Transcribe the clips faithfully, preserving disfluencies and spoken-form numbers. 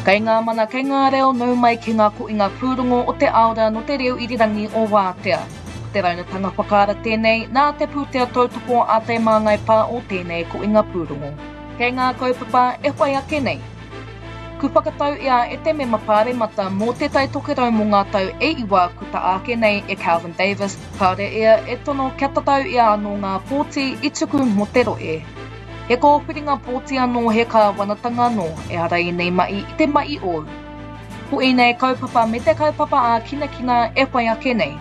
Kei ngā mana, kei ngā reo, nau mai ki ngā koinga pūrongo o te aora no te reo irirangi o Wātea. Ko te raunatanga whakaara tēnei, nā te pūtea tautoko a Te Māngai Pā o tēnei koinga pūrongo. Kei ngā kaupapa e whai ake nei. Ku whakatau ia e te mema pāremata mō Te Tai Tokerau mō ngā tau e iwa ku ta ake nei e Kelvin Davis, kāore ia e tono kia tatau ia anō ngā pōti i tuku mō te roe. He kōwhiringa pōti anō, he kāwanatanga anō, ehara ēnei mahi i te mahi ōu. Ko ēnei kaupapa me te kaupapa ā-kinakina e whai ake nei.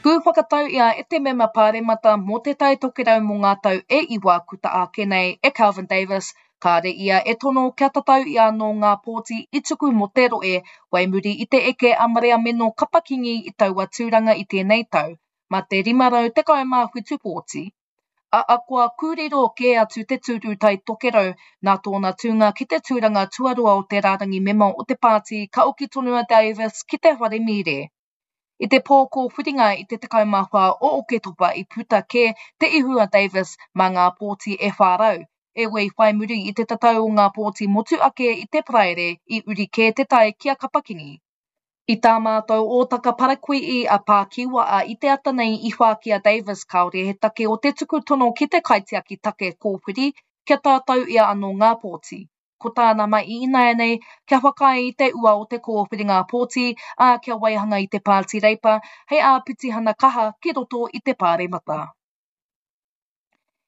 Kū whakatau ia e te mema pāremata mō Te Tai Tokerau mō ngā tau e iwa kuta ake nei e Kelvin Davis, kāre ia e tono kia tatau ia anō ngā pōti i tuku mō te roe, wai muri i te eke a Mariameno Kapa-Kingi i taua tūranga i tēnei tau, mā te rima rau tekau mā whitu pōti. A akoa kūriro kē atu te tūru Tai Tokerau nā tōna tūnga ki te tūranga tuarua o te rārangi mema o te pāti ka oki tonu a Davis ki te whare mīre. I te pō kōwhiringa i te tekau mā whā o Oketopa i puta kē te ihu a Davis mā ngā pōti e whā rau, e wei whai muri i te tatau o ngā pōti motu ake i te Paraire i uri kē te tai ki a Kapa-Kingi. I tā mātou ōtaka parakuihi a Pākiwaa i te ata nei i whāki a Davis kāore he take o te tuku tono ki te kaitiaki take kōwhiri kia tātau ia anō ngā pōti. Ko tāna mai ināianei, kia whakaae i te ua o te kōwhiringa pōti, ā, kia waihanga i te pāti Reipa hei āpitihana kaha ki roto i te pāremata.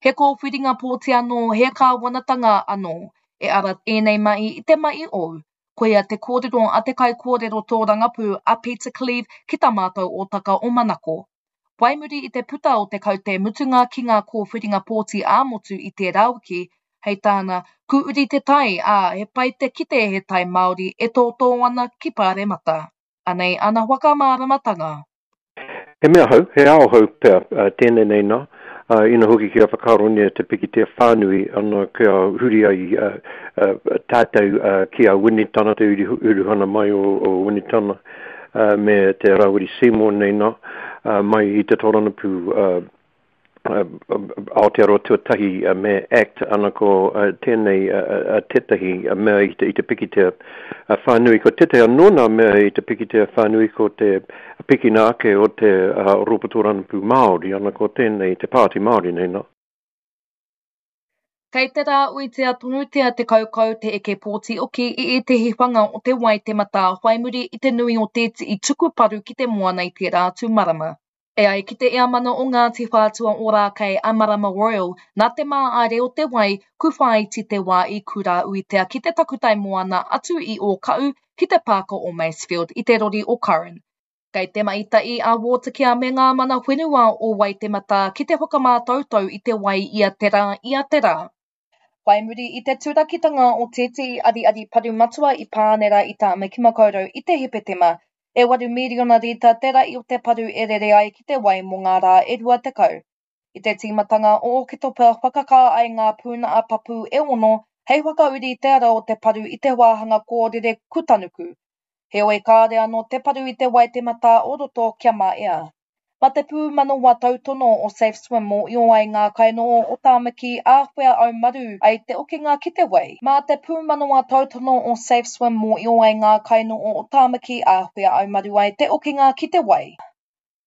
He kōwhiringa pōti anō, he kāwanatanga anō. E ara ēnei mahi i te mahi ōu. Koia te kōrero a te kaikōrero tōrangapū a Peter Cleave ki tā mātou ōtaka o Manako. Wai muri i te puta o te kaute mutunga ki ngā kōwhiringa pōti ā-motu i tērā wiki, hei tāna, ku uri te tai, ā, he pai te kite he tai Māori e tōtō ana ki Pāremata. Anei ana whakamāramatanga. He mea hou, he ao hou pea tēnei nei nā, ina hoki kia whakaaronia te pikitia whānui ana kia huri ai tātou ki a Winitana, te uruhana mai o, o Winitana, me te Rawiri Seymour nei nā, mai i te tōrangapū Aotearoa Tuatahi me ACT, ana ko tēnei tētahi mea i te, i te pikitia whānui. Ko tētahi anō nā mea i te pikitia whānui ko te pikina ake o te Rōpū Tōrangapū Māori, ana ko tēnei te Pāti Māori nei nā. Kei te rā uitea tonutia te kaukau te eke pōti oki i ētehi whanga o te Waitematā whai muri i te nui o te tii tuku paru ki te moana i tērā atu marama. E ai ki te eamana o Ngāti Whātua Ōrākei a Marama Royal, nā te māare o te wai, ku whāiti te wā i kura uitea ki te takutai moana atu i Ōkau ki te pāka o Masefield i te rori o Curran. Kei te maita'i a Watercare me ngā mana whenua o Waitematā ki te whakamātautau i te wai ia te rā, ia te rā. Whai muri i te turakitanga o tētehi ariari paru matua i Pānera i Tāmaki Makaurau i te Hepetema, e waru miriona rita te rai o te paru e rere ai ki te wai mō ngā rā e rua tekau. I te tīmatanga o Oketopa whakakā ai ngā pūnaha papu e ono hei whakauri te ara o te paru i te wāhanga kōrere kutanuku. Heoi kāre anō te paru i te Waitematā o roto kia maea. Mā te pūmanawa tautono o Safe Swim mōhio ai ngā kainoho o Tāmaki āwhea aumaru ai te okinga ki te wai. Mā te pūmanawa tautono o Safe Swim mōhio ai ngā kainoho o Tāmaki āwhea aumaru ai te okinga ki te wai.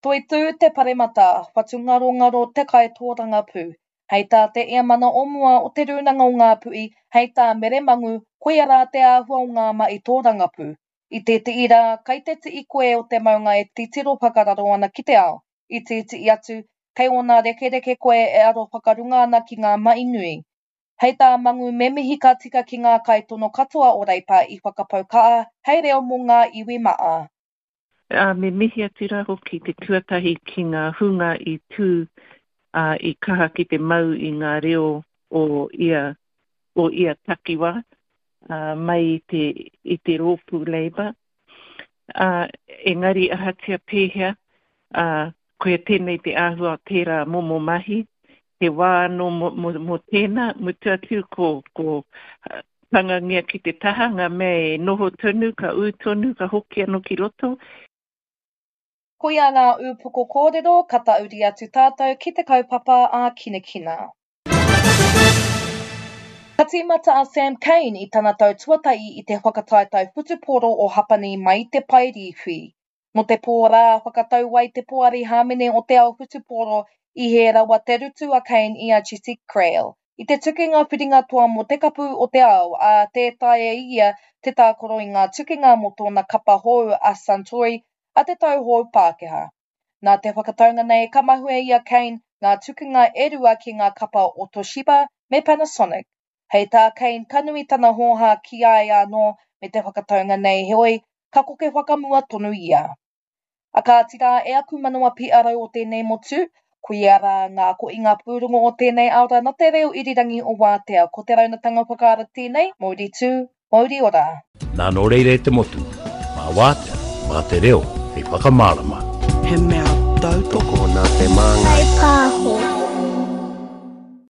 Toitū te paremata, whatungarongaro te kaitōrangapū. Hei tā te eamana o mua o te Rūnanga o Ngāpuhi, hei tā Mere Mangu, koia rā te āhua o ngā mahi tōrangapū. I tētehi rā, kei te tii koe o te maunga e titiro whakararo ana ki te ao. I tētehi atu, kei ōna rekereke koe e aro whakarunga ana ki ngā mahi nui. Hei tā Mangu me mihi ka tika ki ngā kaitono katoa o Reipa i whakapau kaha hei reo mō ngā iwi maa. Ā, me mihi atu rā hoki te tuatahi ki ngā hunga i tū, ā, i kaha ki te mau i ngā reo o ia, o ia takiwā, ā, mai i te, i te rōpū Labour. Ā, engari ahatia pēhea, ā, koia tēnei te āhua o tērā momo mahi, he wā anō mō, mō, mō tēnā, mutu atu ko, ko tangangia ki te taha, ngā mea e noho tonu, ka ū tonu, ka hoki anō ki roto. Koia ngā ūpoko kōrero ka tauri atu tātou ki te kaupapa ā-kinakina. Ka tīmata a Sam Cane i tana tau tuatahi i te whakataetae whutupōro o Hapani mai i te pae rīwhi. Nō te pō rā whakatau ai te poari hāmene o te ao whutupōro i hē rawa te rutu a Cane i a Jesse Kriel i te tukinga whiringa toa mō te Kapu o te Ao, ā, tē taea e ia te tākaro i ngā tukinga mō tōna kapa hou a Suntory a te tau hou Pākehā. Nā te whakataunga nei ka mahue i a Cane ngā tukinga e rua ki ngā kapa o Toshiba me Panasonic. Hei tā Cane ka nui tana hōhā ki a ia anō me te whakataunga nei heoi, ka koke whakamua tonu ia. A kāti rā e aku manawa pīarau o tēnei motu, koia rā ngā koinga pūrongo o tēnei āora nā te reo irirangi o Wātea, ko te raunatanga whakaara tēnei, mauri tū, mauri ora. Nā nō reira e te motu, mā Wātea, mā te reo, hei whakamārama. He mea tautoko nā te māngai. Pāho.